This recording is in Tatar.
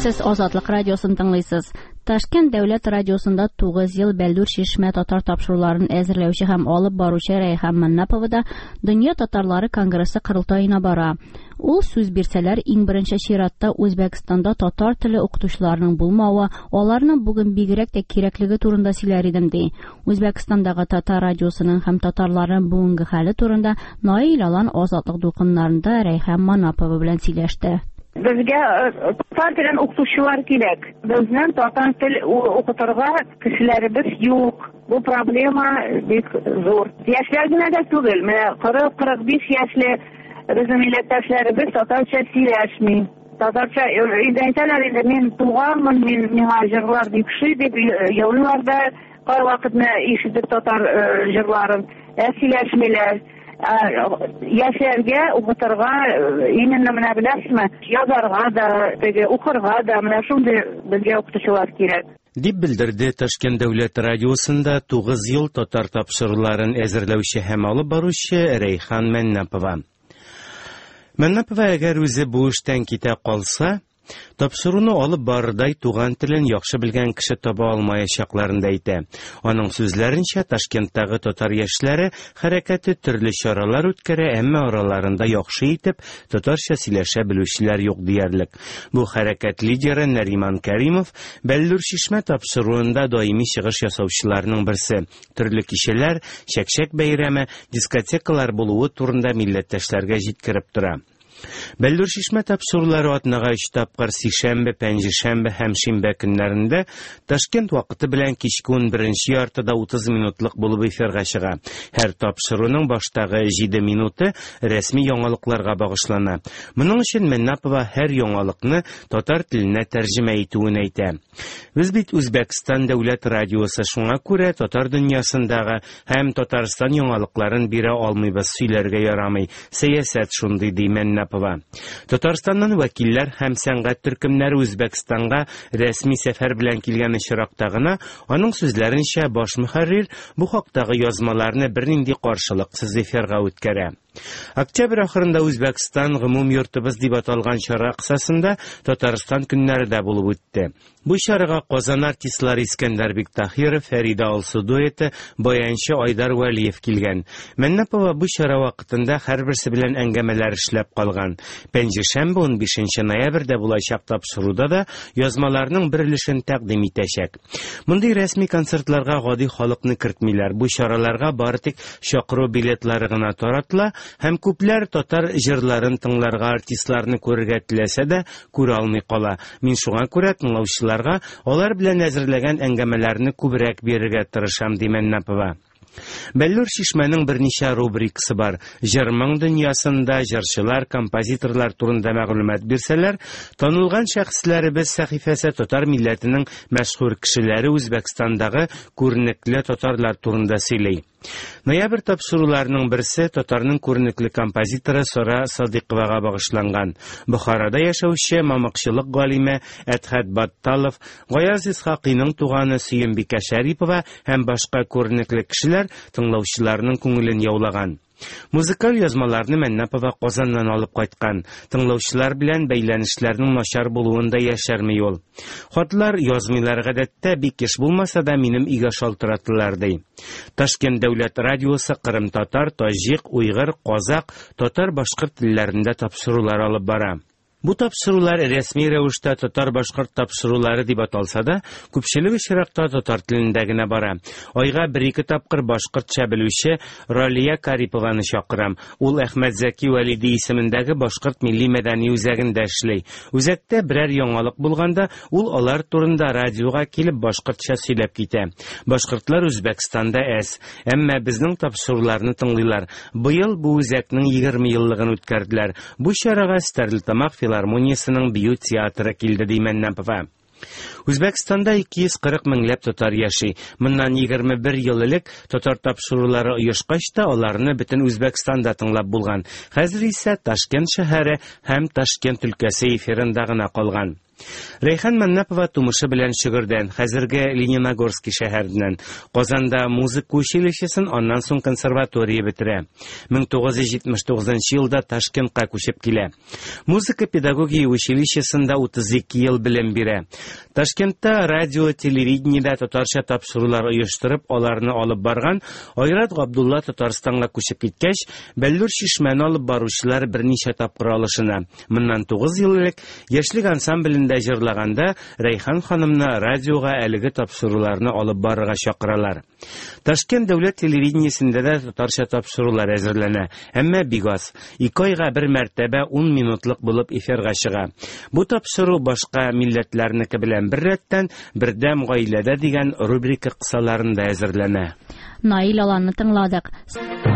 Сез Азатлык радиосын тыңлыйсыз. Ташкент дәүләт радиосында 9 ел Бәллүр чишмә татар тапшыруларын әзерләүче һәм алып баручы Рәйхан Маннапова да Дөнья татарлары конгрессы корылтаена бара. Ул сүз бирсәләр, иң беренче чиратта Үзбәкстанда татар теле укытучыларының булмавы, аларның бүген бигрәк тә кирәклеге турында сөйләр идем, ди. Үзбәкстандагы татар радиосының һәм татарларның бүгенге хәле турында Наил Алан Азатлык дулкыннарында Рәйхан Манапова белән сөйләште. Безгә татар телен укытучылар кирәк. Безнең татар тел укытырга кешеләребез юк. Бу проблема бик зур. Яшьләр генә дә түгел, менә 40-45 яшьле безнең милләттәшләребез татарча сөйләшми. Татарча инде әйтәләр инде, мин туганмын, мин миңа җырлар бик ошый дип елыйлар да, кайвакыт менә ишетеп татар җырларын, ә сөйләшмиләр. Яшьләргә укытырга именно менә беләсезме, язарга да, теге укырга да, менә шундый безгә укытучылар кирәк. Дип белдерде Ташкент дәүләт радиосында 9 ел татар тапшыруларын әзерләүче һәм алып баручы Рәйхан Мәннапова. Мәннапова әгәр үзе бу эштән китә калса, Тапшыруны алып барырдай туган телен яхшы белгән кеше таба алмаячакларын да әйтә. Аның сүзләренчә, Ташкенттагы татар яшьләре хәрәкәте төрле чаралар үткәрә, әмма араларында яхшы итеп татарча сөйләшә белүчеләр юк диярлек. Бу хәрәкәт лидеры Нариман Кәримов Бәллүр чишмә тапшыруында даими чыгыш ясаучыларның берсе. Төрле кичәләр, чәкчәк бәйрәме, дискотекалар булуы турында милләттәшләргә җиткереп тора. Бәллүр чишмә тапшырулары атнага өч тапкыр сишәмбе, пәнҗешәмбе һәм шимбә көннәрендә Ташкент вакыты белән кичке 11 яртыда 30 минутлык булып эфирга чыга. Һәр тапшыруның баштагы 7 минуты рәсми яңалыкларга багышлана. Моның өчен Мәннапова һәр яңалыкны татар теленә тәрҗемә итүен әйтә. Без бит Үзбәкстан дәүләт радиосы, шуңа күрә татар дөньясындагы һәм Татарстан яңалыкларын бирә алмыйбыз, сөйләргә ярамый. Сәясәт шундый, ди Мәннапова. Татарстаннан вәкилләр һәм сәнгать төркемнәре Үзбәкстанга рәсми сәфәр белән килгән очракта гына, аның сүзләренчә, баш мөхәррир бу хактагы язмаларны бернинди каршылыксыз эфирга үткәрә. Октябрь ахырында Үзбәкстан гомум йортыбыз дип аталган чара кысасында Татарстан көннәре дә булып үтте. Бу чарага Казан артистлары Искәндәр Биктахиров, Фәрида Алсу дуэты, баянчы Айдар Вәлиев килгән. Мәннапова бу чара вакытында һәрберсе белән әңгәмәләр эшләп калган. Пәнҗешәмбе 15 ноябрьдә булачак тапшыруда да язмаларның бер өлешен тәкъдим итәчәк. Мондый рәсми концертларга гади халыкны кертмиләр. Бу чараларга бары тик чакыру билетлары гына таратыла һәм күпләр татар җырларын тыңларга, артистларны күрергә теләсә дә, күрә алмый кала. Мин шуңа күрә тыңлаучыларга алар белән әзерләгән әңгәмәләрне күбрәк бирергә тырышам, ди Мәннапова. Бәллүр чишмәнең берничә рубрикасы бар. Җыр-моң дөньясында җырчылар, композиторлар турында мәгълүмат бирсәләр, танылган шәхесләребез сәхифәсе татар милләтенең мәшһүр кешеләре Үзбәкстандагы күренекле татарлар турында сөйли. Ноябрь тапшыруларының берсе татарның күренекле композиторы Сара Садыйковага багышланган. Бохарада яшәүче мамыкчылык галиме Әдхәт Батталов, Гаяз Исхакыйның туганы Сөембикә Шәрипова һәм башка күренекле кешеләр тыңлаучыларның күңелен яулаган. Музыкаль язмаларны Мәннапова Казаннан алып кайткан. Тыңлаучылар белән бәйләнешләрнең начар булуын да яшерми ул. Хатлар язмыйлар гадәттә, бик еш булмаса да минем өйгә шалтыратылар, ди. Ташкент дәүләт радиосы кырым-татар, таҗик, уйгыр, казак, татар-башкорт телләрендә тапшырулар алып бара. Бу тапшырулар рәсми рәвештә татар-башкорт тапшырулары дип аталса да, күпчелек очракта татар телендә генә бара. Айга бер-ике тапкыр башкортча белүче Ралия Карипованы чакырам. Ул Әхмәт Зәки Вәлиди исемендәге башкорт милли мәдәни үзәгендә эшли. Үзәктә берәр яңалык булганда, ул алар турында радиога килеп башкортча сөйләп китә. Башкортлар Үзбәкстанда әз, әмма безнең тапшыруларны тыңлыйлар. Быел бу үзәкнең 20 еллыгын үткәрделәр. Бу чарага Стәрлетамак филармониясенең бию театры килде, ди Мәннапова. Үзбәкстанда 240 меңләп татар яши. Моннан 21 ел элек татар тапшырулары оешкач та аларны бөтен Үзбәкстанда тыңлап булган. Хәзер исә Ташкент шәһәре һәм Ташкент өлкәсе эфирында гына калган. Рәйхан Мәннапова тумышы белән Шөгердән, хәзерге Лениногорский шәһәреннән. Казанда музыка училищесын, аннан соң консерватория бетерә. 1979 елда Ташкентка күчеп килә. Музыка педагогия училищесында 32 ел белем бирә. Ташкентта радио, телевидениедә татарча тапшырулар оештырып, аларны алып барган Айрат Габдулла Татарстанга күчеп киткәч, Бәллүр чишмәне алып баручылар берничә тапкыр алышына. Моннан 9 ел элек Яшьлек ансамблендә җырлаганда Рәйхан ханымны радиога әлеге тапшыруларны алып барырга чакыралар. Ташкент дәүләт телевидениесендә дә татарча тапшырулар әзерләнә, әмма бик аз. Ике айга бер мәртәбә 10 минутлык булып эфирга чыга. Бу тапшыру башка милләтләрнеке белән беррәттән Бердәм гаиләдә дигән рубрика кысаларында әзерләнә. Наил Аланны тыңладык.